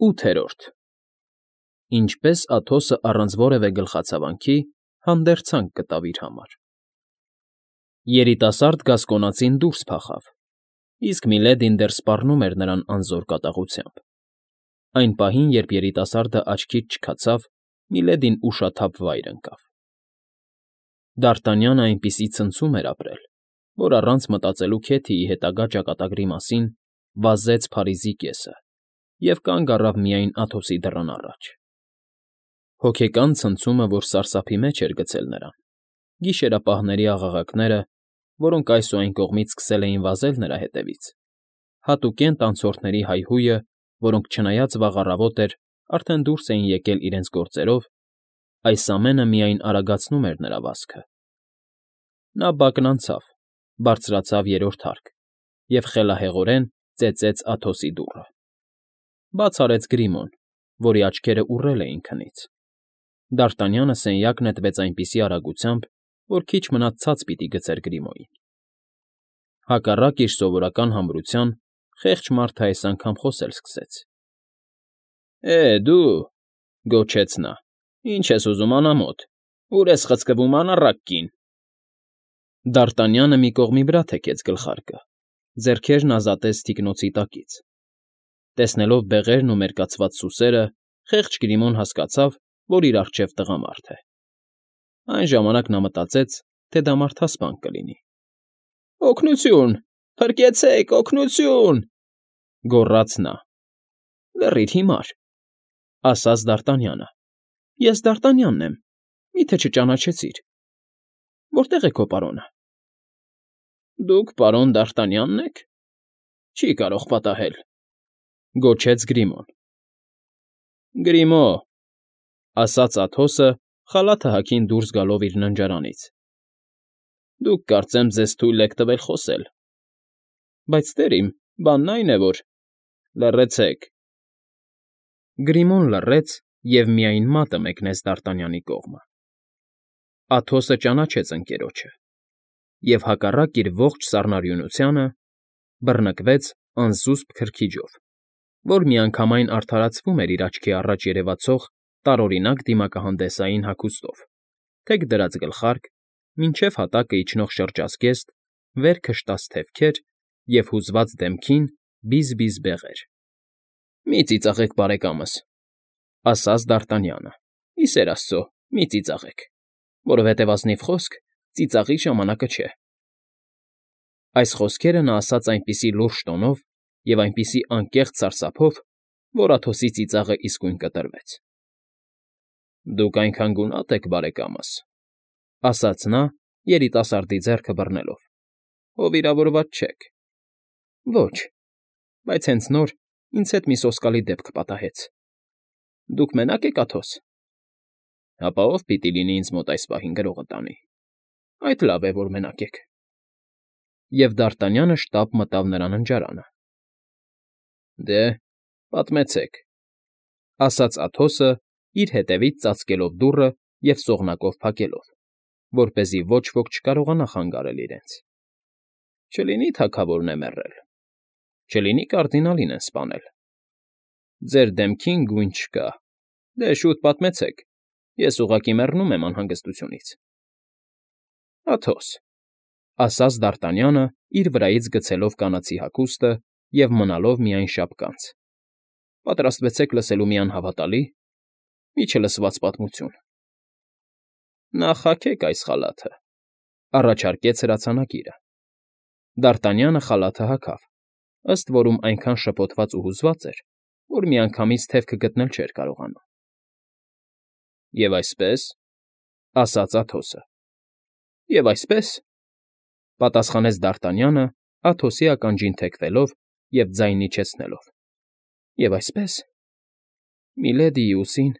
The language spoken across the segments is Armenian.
8-րդ Ինչպես Աթոսը առանց որևէ գլխացավանքի հանդերձանք գտավ իր համար։ Երիտասարդ գասկոնացին դուրս փախավ, իսկ Միլեդին դեռ սպառնում էր նրան անզոր կատաղությամբ։ Այն պահին, երբ երիտասարդը աչքից չքացավ, Միլեդին ուշաթափ վայր ընկավ։ Դ'Արտանյանը այնպիսի ցնցում էր ապրել, որ առանց մտածելու Քեթիի հետագա ճակատագրի մասին վազեց Փարիզի կեսը և կանգ առավ միայն Աթոսի դռան առաջ։ Հոգեկան ցնցումը, որ սարսափի մեջ էր գցել նրան, գիշերապահների աղաղակները, որոնք այս ու այն կողմից սկսել էին վազել նրա հետևից, հատուկենտ անցորդների հայհույը, որոնք չնայած վաղ առավոտ էր, արդեն դուրս էին եկել իրենց գործերով, այս ամենը միայն արագացնում էր նրա վազքը։ Նա բակն անցավ, բարձրացավ երրորդ հարկ և խելահեղորեն ծեծեց Աթոսի դուռը։ Բաց արեց Գրիմոն, որի աչքերը ուռել էին քնից։ Դ'Արտանյանը սենյակ նետվեց այնպիսի արագությամբ, որ քիչ մնաց ցած պիտի գցեր Գրիմոյին։ Հակառակ իր սովորական համրության, խեղճ մարդը այս անգամ խոսել սկսեց։ Դու,֊ գոչեց նա,֊ ինչ ես ուզում անամոթ, ուր ես խցկվում անառակ կին։ Դ'Արտանյանը մի կողմի վրա թեքեց գլխարկը, ձեռքերն ազատեց թիկնոցի տակից։ Տեսնելով բեղերն ու մերկացված սուսերը, խեղճ Գրիմոն հասկացավ, որ իր առջև տղամարդ է։ Այն ժամանակ նա մտածեց, թե դա մարդասպան կլինի։ «Օգնությո՜ւն, փրկեցեք, օգնությո՜ւն,֊ գոռաց նա։ «Լռիր, հիմար,֊ ասաց Դ'Արտանյանը։ Ես Դ'Արտանյանն եմ, մի՞թե չճանաչեցիր։ Որտե՞ղ է քո պարոնը։ Դուք պարոն Դ'Արտանյանն եք։ Չի կարող պատահել,֊ գոչեց Գրիմոն։ Գրիմո՛, ասաց Աթոսը, խալաթը հագին դուրս գալով իր ննջարանից։ Դուք, կարծեմ, ձեզ թույլ եք տվել խոսել։ Բայց, տեր իմ, բանն այն է, որ… Լռեցեք։ Գրիմոն լռեց և միայն մատը մեկնեց Դ'Արտանյանի կողմը։ Աթոսը ճանաչեց ընկերոջը և, հակառակ իր ողջ սառնարյունությանը, բռնկվեց անզուսպ քրքիջով, որ միանգամայն արդարացվում էր իր աչքի առաջ երևացող տարօրինակ դիմակահանդեսային հագուստով, թեք դրած գլխարկ, մինչև հատակը իջնող շրջազգեստ, վերքը շտացթևքեր և հուզված դեմքին բիզ֊բիզ բեղեր։ Մի ծիծաղեք, բարեկամս,֊ ասաց Դ'Արտանյանը,֊ ի սեր աստծո, մի ծիծաղեք, որովհետև ազնիվ խոսք ծիծաղի ժամանակը չէ։ Այս խոսքերը նա ասաց այնպիսի լուրջ տոնով և այնպիսի անկեղծ սարսափով, որ Աթոսի ծիծաղը իսկույն կտրվեց։ Դուք այնքան գունատ եք, բարեկամս,֊ ասաց նա, երիտասարդի ձեռքը բռնելով։ Ով վիրավորված չեք։ Ոչ, բայց հենց նոր ինձ հետ մի սոսկալի դեպք պատահեց։ Դուք մենա՞կ եք, Աթոս։ Հապա ով պիտի լինի ինձ մոտ այս պահին գրողը տանի։ Այդ լավ է, որ մենակ եք։ Եվ Դ'Արտանյանը շտապ մտավ նրա ննջարանը։ Դե, պատմեցեք,֊ ասաց Աթոսը, իր հետևից ծածկելով դուռը և սողնակով փակելով, որպեսզի ոչ ոք չկարողանա խանգարել իրենց։ Չլինի թագավորն է մեռել, չլինի կարդինալին են սպանել։ Ձեր դեմքին գույն չկա։ Դե, շուտ պատմեցեք, ես ուղղակի մեռնում եմ անհանգստությունից։ Աթոս,֊ ասաց Դ'Արտանյանը, իր վրայից գցելով կանացի հագուստը և մնալով միայն շապկանց։ Պատրաստվեցեք լսելու մի անհավատալի, միջելսված պատմություն։ Նախ հագեք այս խալաթը,֊ առաջարկեց հրացանակիրը։ Դ'Արտանյանը խալաթը հագավ, ըստ որում այնքան շփոթված ու հուզված էր, որ միանգամից թևքը գտնել չէր կարողանում։ Եվ այսպես,֊ ասաց Աթոսը։ Եվ այսպես,֊ պատասխանեց Դ'Արտանյանը, Աթոսի ականջին թեքվելով և ձայն իջեցնելով։ Եվ այսպես… Միլեդիի ուսին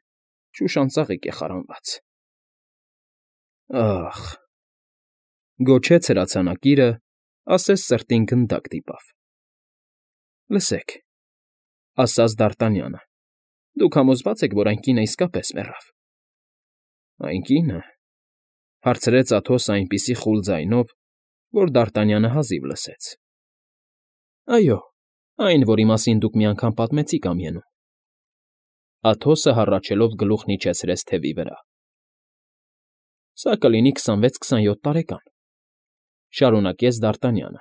շուշանծաղիկ է խարանված։ Ա՜խ,֊ գոչեց հրացանակիրը, ասես սրտին գնդակ դիպավ։ Լսեք,֊ ասաց Դ'Արտանյանը,֊ դուք համոզվա՞ծ եք, որ այն կինը իսկապես մեռավ։ Այն կի՞նը,֊ հարցրեց Աթոսը այնպիսի խուլ ձայնով, որ Դ'Արտանյանը հազիվ լսեց։ Այո, այն, որի մասին դուք մի անգամ պատմեցիք ամյանում։ Աթոսը հառաչելով գլուխն իջեցրեց թևի վրա։ Սա կլինի 26-27 տարեկան, շարունակեց Դ'Արտանյանը։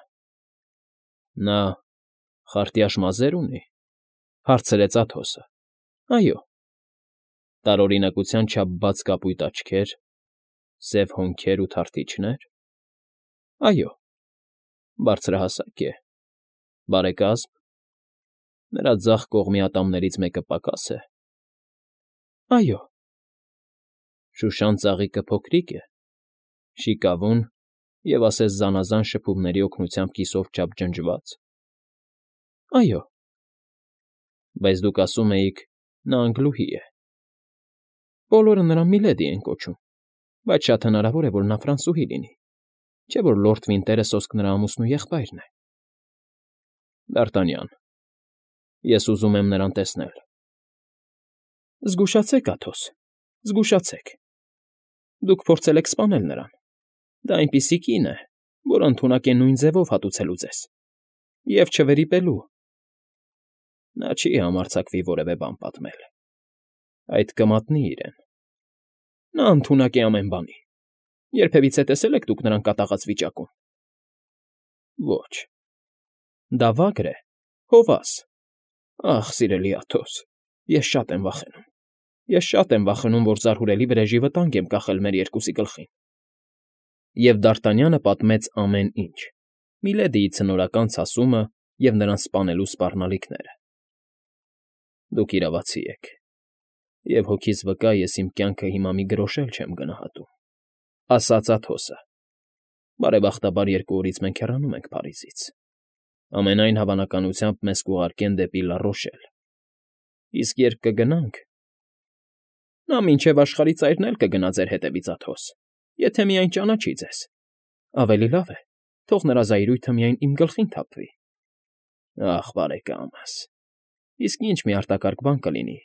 Նա խարտյաշ մազեր ունի, հարցրեց Աթոսը։ Այո։ Տարօրինակության չափ բաց կապույտ աչքեր, սև հոնքեր ու թարթիչնե՞ր։ Այո։ Բարձրահասակ է, բարեկազմ, նրա ձախ կողմի ատամներից մեկը պակաս է։ Այո։ Շուշան ծաղիկը փոքրիկ է, շիկավուն և ասես զանազան շփումների օգնությամբ կիսով չափ ջնջված։ Այո։ Բայց դուք ասում էիք, նա անգլուհի է։ Բոլորը նրան Միլեդի են կոչում, բայց շատ հնարավոր է, որ նա ֆրանսուհի լինի, չէ՞ որ լորդ Վինտերը սոսկ նրա ամուսնու եղբայրն է։ Դ'Արտանյան, ես ուզում եմ նրան տեսնել։ Զգուշացեք, Աթոս, զգուշացեք։ Դուք փորձել եք սպանել նրան։ Դա այնպիսի կին է, որ ընդունակ է նույն ձևով հատուցելու ձեզ։ Եվ չվերիպելու։ Նա չի համարձակվի որևէ բան պատմել։ Այդ կմատնի իրեն։ Նա ընդունակ է ամեն բանի։ Երբևիցե տեսել եք դուք նրան կատաղած վիճակում։ Ոչ։ Դա վագր է, հովաս։ Ախ, սիրելի Աթոս, ես շատ եմ վախենում։ Ես շատ եմ վախենում, որ զարհուրելի վրեժի վտանգ եմ կախել մեր երկուսի գլխին։ Եվ Դ'Արտանյանը պատմեց ամեն ինչ. Միլեդիի ցնորական ցասումը և նրան սպանելու սպառնալիքները։ Դուք իրավացի եք, և հոգիս վկա ես իմ կյանքը հիմա մի գրոշ էլ չեմ գնահատում, ասաց Աթոսը։ Բարեբախտաբար 2 օրից մենք հեռանում ենք Փարիզից։ Ամենայն հավանականությամբ մեզ կուղարկեն դեպի Լա Ռոշել։ Իսկ երբ կգնանք… Նա մինչև աշխարհի ծայրն էլ կգնա ձեր հետևից, Աթոս, եթե միայն ճանաչի ձեզ։ Ավելի լավ է, թող նրա զայրույթը միայն իմ գլխին թափվի։ Ախ, բարեկամս, իսկ ինչ մի արտակարգ բան կլինի,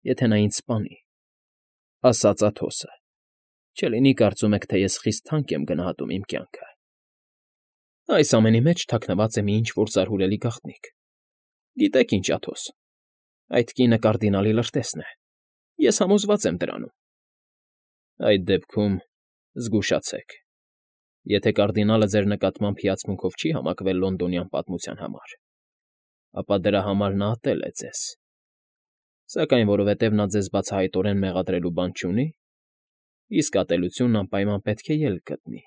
եթե նա ինձ սպանի, ասաց Աթոսը։ Չլինի կարծում եք, թե ես խիստ թանկ եմ գնահատում իմ կյանքը։ Այս ամենի մեջ թաքնված է մի ինչ֊որ զարհուրելի գաղտնիք։ Գիտեք ինչ, Աթոս, այդ կինը կարդինալի լրտեսն է։ Ես համոզված եմ դրանում։ Այդ դեպքում զգուշացեք։ Եթե կարդինալը ձեր նկատմամբ հիացմունքով չի համակվել լոնդոնյան պատմության համար, ապա դրա համար նա ատել է ձեզ։ Սակայն որովհետև նա ձեզ բացահայտորեն մեղադրելու բան չունի, իսկ ատելությունն անպայման պետք է ելք գտնի,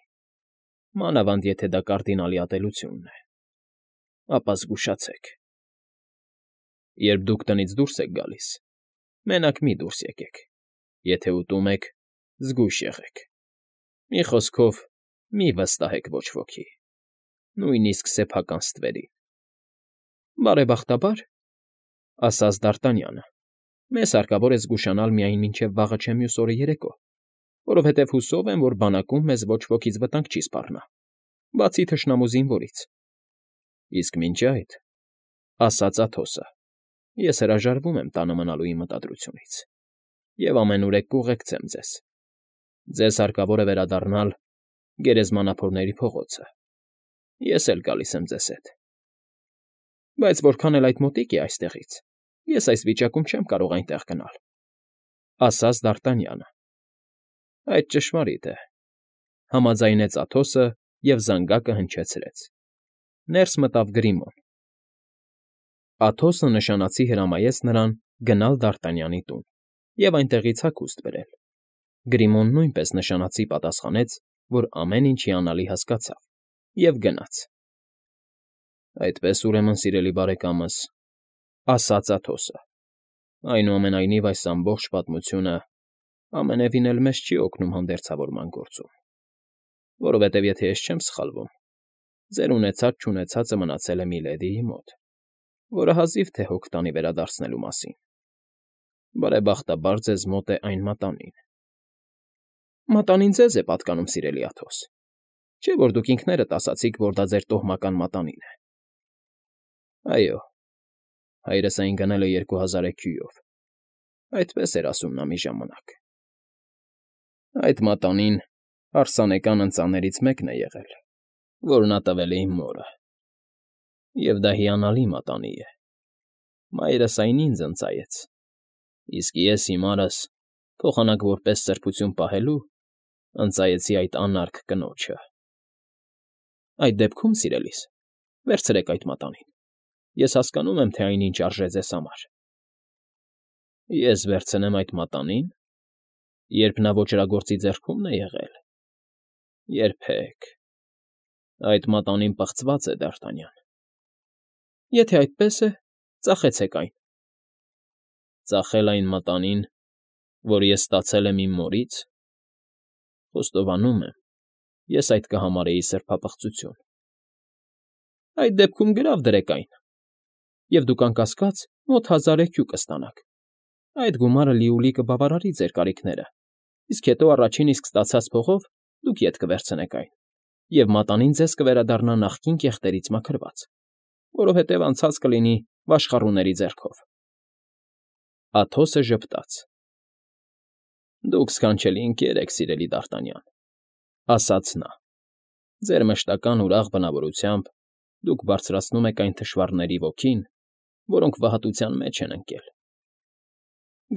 մանավանդ եթե դա կարդինալի ատելությունն է, ապա զգուշացեք։ Երբ դուք տնից դուրս եք գալիս, մենակ մի դուրս եկեք, եթե ուտում եք, զգույշ եղեք։ Մի խոսքով, մի վստահեք ոչ ոքի, նույնիսկ սեփական ստվերին։ Բարեբախտաբար, ասաց Դ'Արտանյանը, մեզ հարկավոր է զգուշանալ միայն մինչև վաղը չէ մյուս օրը երեկո, որովհետև հուսով եմ, որ բանակում մեզ ոչ ոքից վտանգ չի սպառնա, բացի թշնամու զինվորից։ Իսկ մինչ այդ, ասաց Աթոսը, ես հրաժարվում եմ տանը մնալու իմ մտադրությունից և ամենուրեք կուղեկցեմ ձեզ։ Ձեզ հարկավոր է վերադառնալ Գերեզմանափորների փողոցը։ Ես էլ գալիս եմ ձեզ հետ։ Բայց որքան էլ այդ մոտիկ է այստեղից, ես այս վիճակում չեմ կարող այնտեղ գնալ, ասաց Դ'Արտանյանը։ Այդ ճշմարիտ է, համաձայնեց Աթոսը և զանգակը հնչեցրեց։ Ներս մտավ Գրիմոն։ Աթոսը նշանացի հրամայեց նրան գնալ Դ'Արտանյանի տուն և այնտեղից հագուստ բերել։ Գրիմոն նույնպես նշանացի պատասխանեց, որ ամեն ինչ հիանալի հասկացավ, և գնաց։ Այդպես, ուրեմն, սիրելի բարեկամս, ասաց Աթոսը, այնուամենայնիվ այս ամբողջ պատմությունը ամենևին էլ մեզ չի օգնում հանդերձավորման գործում, որովհետև եթե ես չեմ սխալվում, ձեր ունեցած֊չունեցածը մնացել է Միլեդիի մոտ, որը հազիվ թե հոգ տանի վերադարձնելու մասին։ Բարեբախտաբար ձեզ մոտ է այն մատանին։ Մատանին ձեզ է պատկանում, սիրելի Աթոս, չէ՞ որ դուք ինքներդ ասացիք, որ դա ձեր տոհմական մատանին է։ Այո, հայրս այն գնել է 2000 էքյուով, այդպես էր ասում նա մի ժամանակ։ Այդ մատանին հարսանեկան ընծաներից մեկն է եղել, որ նա տվել է իմ մորը։ Եվ դա հիանալի մատանի է։ Մայրս այն ինձ ընծայեց, Իսկ ես հիմարս, փոխանակ որպես սրբություն պահելու, ընծայեցի այդ անարգ կնոջը։ Այդ դեպքում, սիրելիս, վերցրեք այդ մատանին. ես հասկանում եմ, թե այնինչ արժե ձեզ համար։ Ես վերցնեմ այդ մատանին, երբ նա ոճրագործի ձեռքումն է եղել։ Երբեք։ Այդ մատանին պղծված է, Դ'Արտանյան։ Եթե այդպես է, ծախեցեք այն։ Ծախել այն մատանին, որ ես ստացել եմ իմ մորից, խոստովանում եմ, ես այդ կհամարեի սրբապղծություն։ Այդ դեպքում գրավ դրեք այն, և դուք անկասկած մոտ 1000 էքյու կստանաք։ Այդ գումարը լիուլի կբավարարի ձեր կարիքները, իսկ հետո առաջին իսկ ստացած փողով դուք ետ կվերցնեք այն, և մատանին ձեզ կվերադառնա նախկին կեղտերից մաքրված, որովհետև անցած կլինի վաշխառուների ձեռքով։ Աթոսը ժպտաց։ Դուք սքանչելի ընկեր եք, սիրելի Դ'Արտանյան, ասաց նա։ Ձեր մշտական ուրախ բնավորությամբ դուք բարձրացնում եք այն թշվառների ոգին, որոնք վհատության մեջ են ընկել։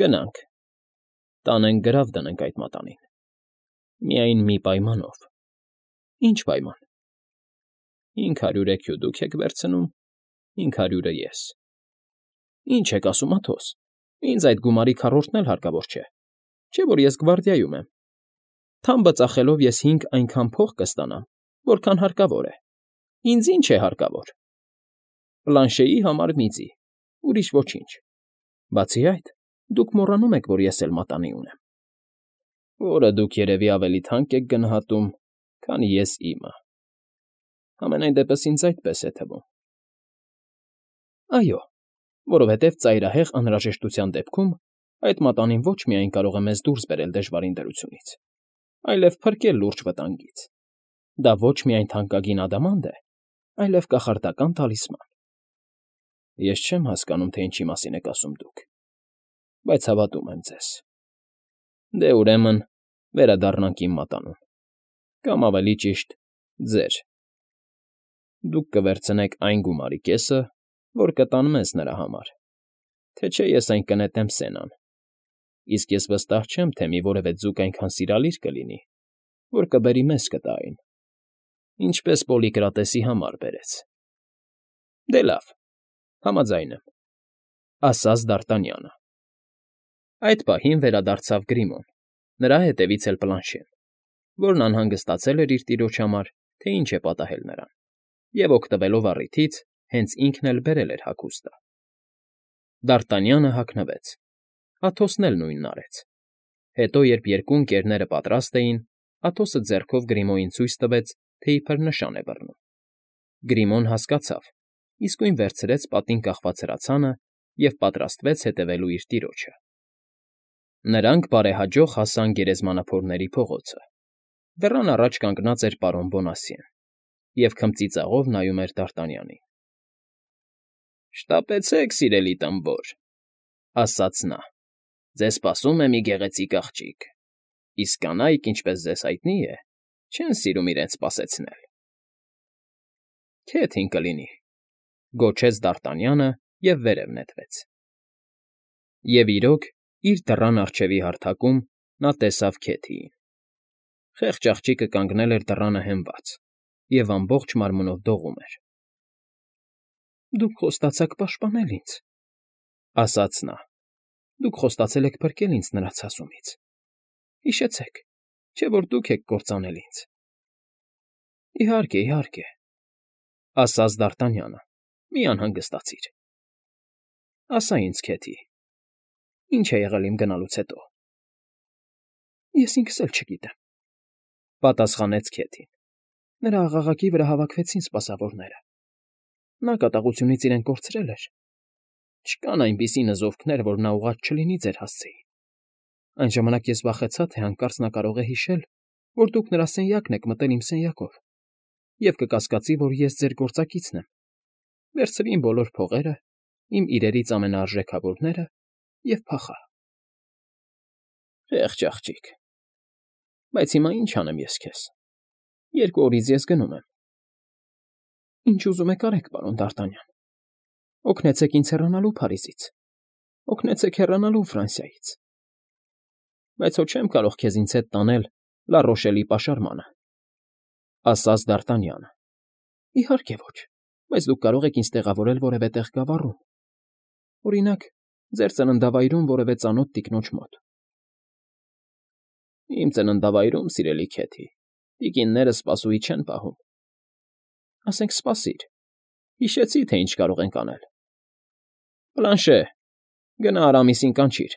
Գնանք, տանենք գրավ դնենք այդ մատանին։ Միայն մի պայմանով։ Ինչ պայման։ 500 էքյու դուք եք վերցնում, 500-ը ես։ Ինչ եք ասում, Աթոս, ինձ այդ գումարի քառորդն էլ հարկավոր չէ, չէ՞ որ ես գվարդիայում եմ։ Թամբը ծախելով ես 5 այնքան փող կստանամ, որքան հարկավոր է։ Ինձ ինչ է հարկավոր։ Պլանշեի համար միծի, ուրիշ ոչինչ։ Բացի այդ, դուք մոռանում եք, որ ես էլ մատանի ունեմ, որը դուք երևի ավելի թանկ եք գնահատում, քան ես իմը։ Համենայն դեպս ինձ այդպես է թվում։ Այո, որովհետև ծայրահեղ անհրաժեշտության դեպքում այդ մատանին ոչ միայն կարող է մեզ դուրս բերել դժվարին դրությունից, այլև փրկել լուրջ վտանգից։ Դա ոչ միայն թանկագին ադամանդ է, այլև կախարդական տալիսման։ Ես չեմ հասկանում, թե ինչի մասին եք ասում դուք, բայց հավատում եմ ձեզ։ Դե ուրեմն վերադառնանք իմ մատանուն, կամ ավելի ճիշտ, ձեր։ Դուք կվերցնեք այն գումարի կեսը, որ կտան մեզ նրա համար, թե չէ ես այն կնետեմ Սենան, իսկ ես վստահ չեմ, թե մի որևէ ձուկ այնքան սիրալիր կլինի, որ կբերի մեզ կտա այն, ինչպես Պոլիկրատեսի համար բերեց։ Դե լավ, համաձայն եմ, ասաց Դ'Արտանյանը։ Այդ պահին վերադարձավ Գրիմոն, նրա հետևից էլ Պլանշեն, որն անհանգստացել էր իր տիրոջ համար, թե ինչ է պատահել նրան, և օգտվելով առիթից, հենց ինքն էլ բերել էր հագուստը։ Դ'Արտանյանը հագնվեց, Աթոսն էլ նույնն արեց։ Հետո, երբ երկու ընկերները պատրաստ էին, Աթոսը ձեռքով Գրիմոյին ցույց տվեց, թե իբր նշան է բռնում։ Գրիմոն հասկացավ, իսկույն վերցրեց պատին կախված հրացանը և պատրաստվեց հետևելու իր տիրոջը։ Նրանք բարեհաջող հասան գերեզմանափորների փողոցը։ Դռան առաջ կանգնած էր պարոն Բոնասյեն և քմծիծաղով նայում էր Դ'Արտանյանին։ Շտապեցեք, սիրելի տմբոր, ասաց նա, ձեզ սպասում է մի գեղեցիկ աղջիկ, իսկ կանայք, ինչպես ձեզ հայտնի է, չեն սիրում իրենց սպասեցնել։ Քեթին կլինի, գոչեց Դ'Արտանյանը և վերև նետվեց։ Եվ իրոք, իր դռան առջևի հարթակում նա տեսավ Քեթիին։ Խեղճ աղջիկը կանգնել էր դռանը հենված և ամբողջ մարմնով դողում էր։ Դուք խոստացաք պաշտպանել ինձ, ասաց նա։ Դուք խոստացել եք փրկել ինձ նրա ցասումից։ Հիշեցեք, չէ՞ որ դուք եք կործանել ինձ։ Իհարկե, իհարկե, ասաց Դ'Արտանյանը, մի անհանգստացիր։ Ասա ինձ, Քեթի, ինչ է եղել իմ գնալուց հետո։ Ես ինքս էլ չգիտեմ, պատասխանեց Քեթին։ Նրա աղաղակի վրա հավաքվեցին սպասավորները։ Նա կատաղությունից իրեն կորցրել էր։ Չկան այնպիսի նզովքներ, որ նա ուղղած չլինի ձեր հասցեին։ Այն ժամանակ ես վախեցա, թե հանկարծ նա կարող է հիշել, որ դուք նրա սենյակն եք մտել իմ սենյակով, և կկասկածի, որ ես ձեր գործակիցն եմ։ Վերցրի իմ բոլոր փողերը, իմ իրերից ամենաարժեքավորները և փախա։ Խեղճ աղջիկ։ Բայց հիմա ինչ անեմ ես քեզ։ 2 օրից ես գնում եմ։ Ինչ ուզում եք արեք, պարոն Դ'Արտանյան։ Օգնեցեք ինձ հեռանալու Փարիզից։ օգնեցեք հեռանալու Ֆրանսիայից։ Բայց հո չեմ կարող քեզ ինձ հետ տանել Լա Ռոշելի պաշարմանը, ասաց Դ'Արտանյանը։ Իհարկե ոչ, բայց դուք կարող եք ինձ տեղավորել որևէ տեղ գավառում, օրինակ, ձեր ծննդավայրում որևէ ծանոթ տիկնոջ մոտ։ Իմ ծննդավայրում, սիրելի Քեթի, տիկինները սպասուհի չեն պահում։ Ասենք սպասիր, հիշեցի, թե ինչ կարող ենք անել։ Բլանշե, գնա Արամիսին կանչիր,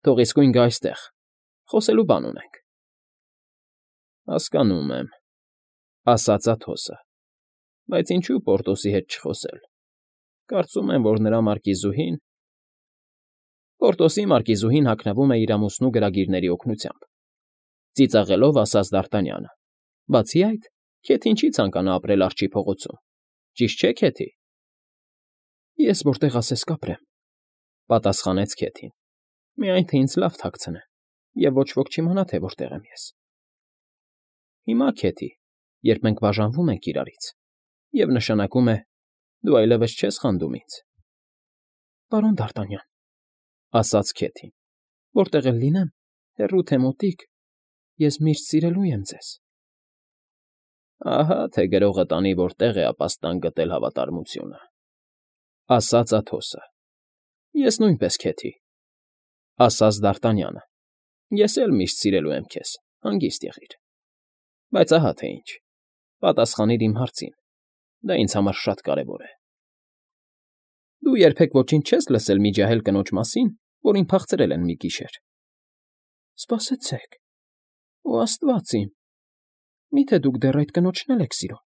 թող իսկույն գա այստեղ, խոսելու բան ունենք։ Հասկանում եմ, ասաց Աթոսը, բայց ինչու Պորտոսի հետ չխոսել։ Կարծում եմ, որ նրա մարկիզուհին… Պորտոսի մարկիզուհին հագնվում է իր ամուսնու գրագիրների օգնությամբ, ծիծաղելով ասաց Դ'Արտանյանը։ Բացի այդ, Քեթին չի ցանկանա ապրել Արջի փողոցում, ճիշտ չէ, Քեթի։ Ես որտեղ ասես կապրեմ, պատասխանեց Քեթին։ Միայն թե ինձ լավ թաքցնեն, և ոչ ոք չիմանա, թե որտեղ եմ ես։ Հիմա, Քեթի, երբ մենք բաժանվում ենք իրարից, և նշանակում է, դու այլևս չես խանդում ինձ։ Պարոն Դ'Արտանյան, ասաց Քեթին, որտեղ էլ լինեմ, հեռու թե մոտիկ, ես միշտ սիրելու եմ ձեզ։ Ահա թե գրողը տանի որտեղ է ապաստան գտել հավատարմությունը, ասաց Աթոսը։ Ես նույնպես, Քեթի, ասաց Դ'Արտանյանը։ Ես էլ միշտ սիրելու եմ քեզ, հանգիստ եղիր։ Բայց ահա թե ինչ, պատասխանիր իմ հարցին, դա ինձ համար շատ կարևոր է։ Դու երբեք ոչինչ չես լսել մի ջահել կնոջ մասին, որին փախցրել են մի գիշեր։ Սպասեցեք, օ Աստված իմ, միթե դուք դեռ այդ կնոջն էլ եք սիրում։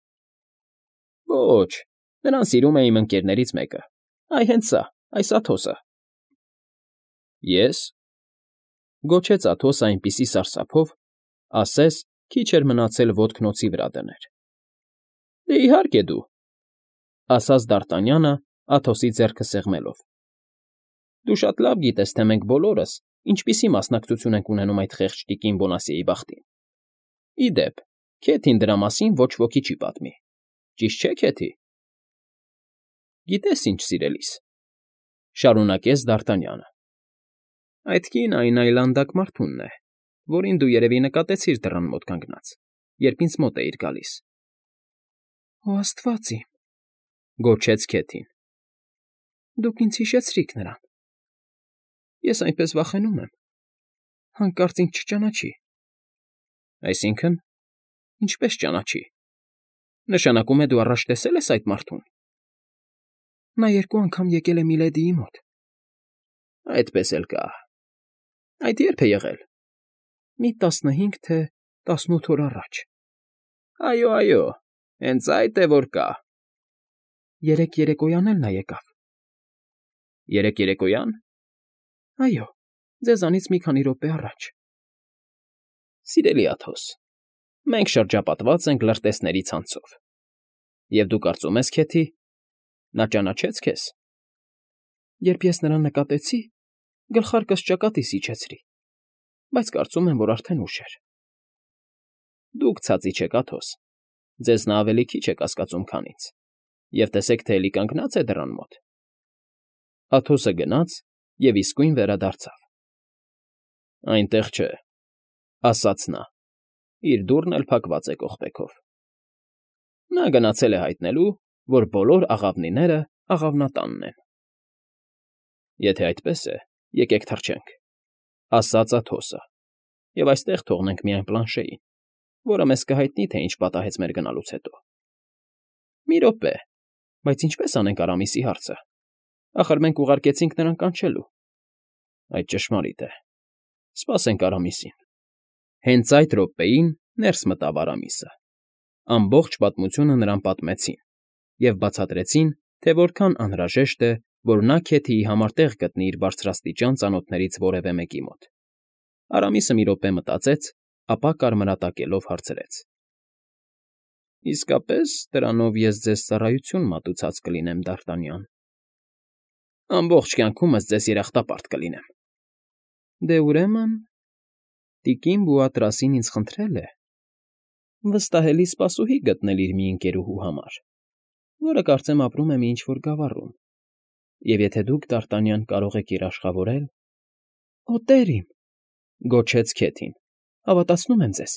Ոչ, նրան սիրում է իմ ընկերներից մեկը, այ հենց սա, այս Աթոսը։ Ես… Գոչեց Աթոսը այնպիսի սարսափով, ասես քիչ էր մնացել ոտքն օձի վրա դներ։ Դե իհարկե դու, ասաց Դ'Արտանյանը Աթոսի ձեռքը սեղմելով։ Դու շատ լավ գիտես, թե մենք բոլորս ինչպիսի մասնակցություն ենք ունենում այդ խեղճ տիկին Բոնասիեի բախտին։ Ի դեպ, Քեթին դրա մասին ոչ ոքի չի պատմի։ Ճիշտ չէ, Քեթի։ Գիտես ինչ, սիրելիս, շարունակեց Դ'Արտանյանը։ Այդ կինը այն այլանդակ մարդունն է, որին դու երևի նկատեցիր դռան մոտ կանգնած, երբ ինձ մոտ էիր գալիս։ Օ Աստված իմ, գոչեց Քեթին։ Դուք ինձ հիշեցրիք նրան։ Ես այնպես վախենում եմ, հանկարծ ինձ չճանաչի։ Այսինքն, ինչպես ճանաչի։ Նշանակում է դու առաջ տեսել ես այդ մարդուն։ Նա երկու անգամ եկել է Միլեդիի մոտ։ Այդպես էլ կա։ Այդ ե՞րբ է եղել։ Մի 15 թե 18 օր առաջ։ Այո, հենց այդ է որ կա։ Երեկ երեկոյան էլ նա եկավ։ Երեկ երեկոյան։ Այո, ձեզանից մի քանի րոպե առաջ։ Սիրելի Աթոս, մենք շրջապատված ենք լրտեսների ցանցով։ Եվ դու կարծում ես, Քեթի, նա ճանաչեց քեզ։ Երբ ես նրան նկատեցի, գլխարկս ճակատիս իջեցրի, բայց կարծում եմ, որ արդեն ուշ էր։ Դուք ցածի չեք, Աթոս, ձեզ նա ավելի քիչ է կասկածում, քան ինձ, և տեսեք, թե էլի կանգնած է դռան մոտ։ Աթոսը գնաց և իսկույն վերադարձավ։ Այնտեղ չէ, ասաց նա, իր դուռն էլ փակված է կողպեքով։ Նա գնացել է հայտնելու, որ բոլոր աղավնիները աղավնատանն են։ Եթե այդպես է, եկեք թռչենք, ասաց Աթոսը, և այստեղ թողնենք միայն Պլանշեին, որը մեզ կհայտնի, թե ինչ պատահեց մեր գնալուց հետո։ Մի րոպե, բայց ինչպես անենք Արամիսի հարցը։ Ախր մենք ուղարկեցինք նրան կանչելու։ Այդ ճշմարիտ է։ Սպասենք Արամիսին։ Հենց այդ րոպեին ներս մտավ Արամիսը։ Ամբողջ պատմությունը նրան պատմեցին և բացատրեցին, թե որքան անհրաժեշտ է, որ նա Քեթիի համար տեղ գտնի իր բարձրաստիճան ծանոթներից որևէ մեկի մոտ։ Արամիսը մի րոպե մտածեց, ապա կարմրատակելով հարցրեց. Իսկապես դրանով ես ձեզ ծառայություն մատուցած կլինեմ, Դ'Արտանյան։ Ամբողջ կյանքումս ձեզ երախտապարտ կլինեմ։ Դե ուրեմն, տիկին Բուատրասին ինձ խնդրել է վստահելի սպասուհի գտնել իր մի ընկերուհու համար, որը կարծեմ ապրում է մի ինչ֊որ գավառում, Եվ եթե դուք, Դ'Արտանյան, կարող եք երաշխավորել… ֊ Օ, տեր իմ,֊ գոչեց Քեթին,֊ հավատացնում եմ ձեզ,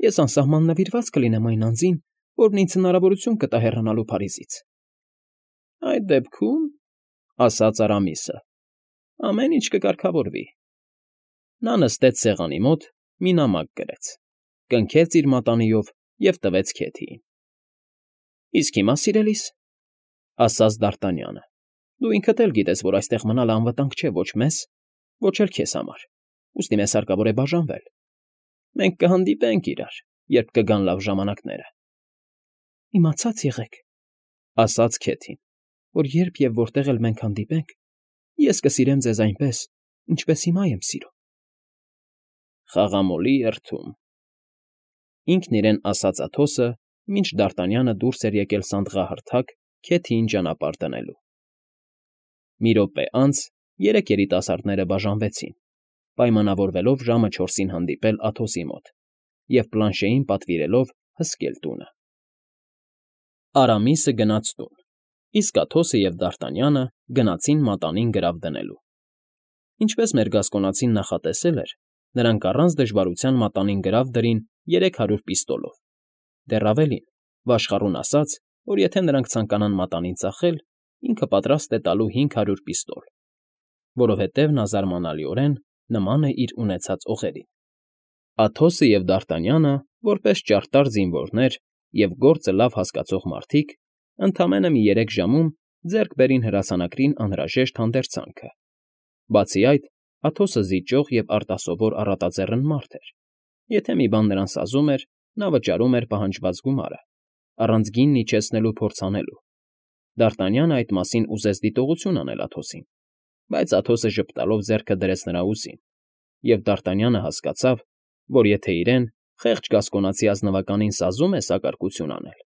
ես անսահման նվիրված կլինեմ այն անձին, որն ինձ հնարավորություն կտա հեռանալու Փարիզից։ ֊ Այդ դեպքում,֊ ասաց Արամիսը,֊ ամեն ինչ կկարգավորվի։ Նա նստեց սեղանի մոտ, մի նամակ գրեց, կնքեց իր մատանիով և տվեց Քեթիին։ ֊ Իսկ հիմա, սիրելիս,֊ ասաց Դ'Արտանյանը,֊ դու ինքդ էլ գիտես, որ այստեղ մնալը անվտանգ չէ ոչ մեզ, ոչ էլ քեզ համար, ուստի մեզ հարկավոր է բաժանվել։ Մենք կհանդիպենք իրար, երբ կգան լավ ժամանակները։ ֊ Իմացած եղեք,֊ ասաց Քեթին,֊ որ երբ և որտեղ էլ մենք հանդիպենք, ես կսիրեմ ձեզ այնպես, ինչպես հիմա եմ սիրում։ Խաղամոլի երթում… Ինքն իրեն ասաց Աթոսը, մինչ Դ'Արտանյանը դուրս էր եկել սանդղահարթակ Քեթիին ճանապարհ դնելու։ Մի րոպե անց երեք երիտասարդները բաժանվեցին, պայմանավորվելով ժամը 4-ին հանդիպել Աթոսի մոտ և Պլանշեին պատվիրելով հսկել տունը։ Արամիսը գնաց տուն, իսկ Աթոսը և Դ'Արտանյանը գնացին մատանին գրավ դնելու։ Ինչպես մեր գասկոնացին նախատեսել էր, նրանք առանց դժվարության մատանին գրավ դրին 300 պիստոլով, դեռ ավելին, վաշխառուն ասաց, որ եթե նրանք ցանկանան մատանին ծախել, ինքը պատրաստ է տալու 500 պիստոլ, որովհետև նա զարմանալիորեն նման է իր ունեցած օղերին։ Աթոսը և Դ'Արտանյանը, որպես ճարտար զինվորներ և գործը լավ հասկացող մարդիկ, ընդամենը մի 3 ժամում ձեռք բերին հրացանակրին անհրաժեշտ հանդերձանքը։ Բացի այդ, Աթոսը զիջող և արտասովոր առատաձեռն մարդ էր. եթե մի բան նրան սազում էր, նա վճարում էր պահանջված գումարը, առանց գինն իջեցնելու փորձ անելու։ Դ'Արտանյանը այդ մասին ուզեց դիտողություն անել Աթոսին, բայց Աթոսը ժպտալով ձեռքը դրեց նրա ուսին, և Դ'Արտանյանը հասկացավ, որ եթե իրեն, խեղճ գասկոնացի ազնվականին սազում է սակարկություն անել,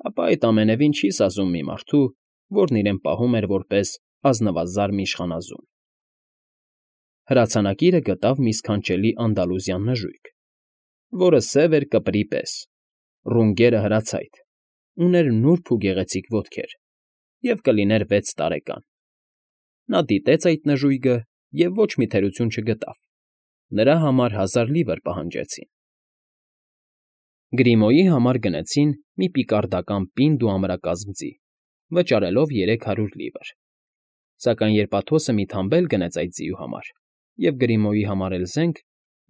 ապա այդ ամենևին չի սազում մի մարդու, որն իրեն պահում էր որպես ազնվազարմ իշխանազուն։ Հրացանակիրը գտավ մի սքանչելի անդալուզյան նժույգ, որը սև էր կպրի պես, ռունգերը հրացայտ, ուներ նուրբ ու գեղեցիկ ոտքեր և կլիներ 6 տարեկան։ Նա դիտեց այդ նժույգը և ոչ մի թերություն չգտավ, նրա համար 1000 լիվր պահանջեցին։ Գրիմոյի համար գնեցին մի պիկարդական պինդ ու ամրակազմ ձի, վճարելով 300 լիվր։ Սակայն երբ Աթոսը մի թամբել գնեց այդ ձիու համար և Գրիմոյի համար էլ զենք,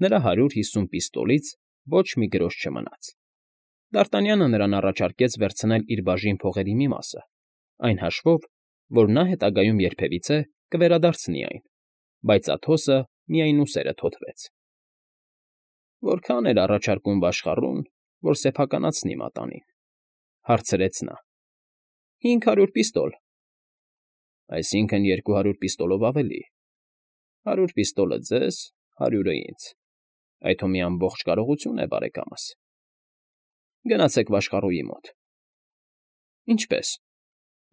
նրա 150 պիստոլից ոչ մի գրոշ չմնաց։ Դ'Արտանյանը նրան առաջարկեց վերցնել իր բաժին փողերի մի մասը, այն հաշվով, որ նա հետագայում երբևիցե կվերադարձնի այն, բայց Աթոսը միայնուսերը թոթվեց։ «Որքա՞ն էր առաջարկում վաշխառուն, որ սեփականացնի մատանին,֊ հարցրեց նա։ ֊ 500 պիստոլ։ ֊ Այսինքն 200 պիստոլով ավելի։ 100 պիստոլը ձեզ, 100-ը ինձ, այդ հո մի ամբողջ կարողություն է, բարեկամս։ Գնացեք վաշխառուի մոտ։ ֊ Ինչպե՞ս,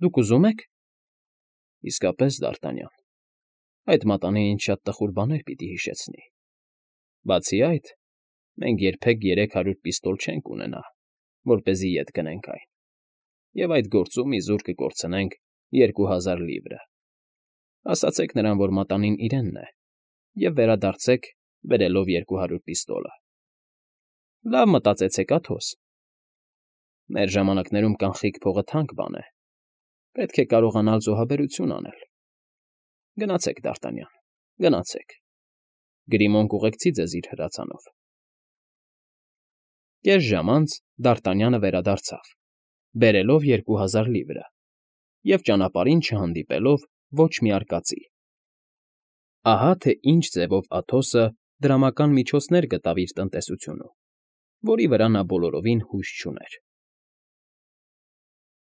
դուք ուզում եք։ ֊ Իսկապես, Դ'Արտանյան, այդ մատանին ինձ շատ տխուր բաներ պիտի հիշեցնի։ Բացի այդ, մենք երբեք 300 պիստոլ չենք ունենա, որպեսզի ետ գնենք այն, և այդ գործում իզուր կկորցնենք 2000 լիվրը։ Ասացեք նրան, որ մատանին իրենն է, և վերադարձեք բերելով 200 պիստոլը։ ֊ Լավ մտածեցեք, Աթոս։ Մեր ժամանակներում կանխիկ փողը թանկ բան է, պետք է կարողանալ զոհաբերություն անել։ Գնացեք, Դ'Արտանյան, գնացեք, Գրիմոն կուղեկցի ձեզ իր հրացանով։ Կես ժամ անց Դ'Արտանյանը վերադարձավ, բերելով 2000 լիվրը և ճանապարհին չհանդիպելով ոչ մի արկածի։ Ահա թե ինչ ձևով Աթոսը դրամական միջոցներ գտավ իր տնտեսությունում, որի վրա նա բոլորովին հույս չուներ։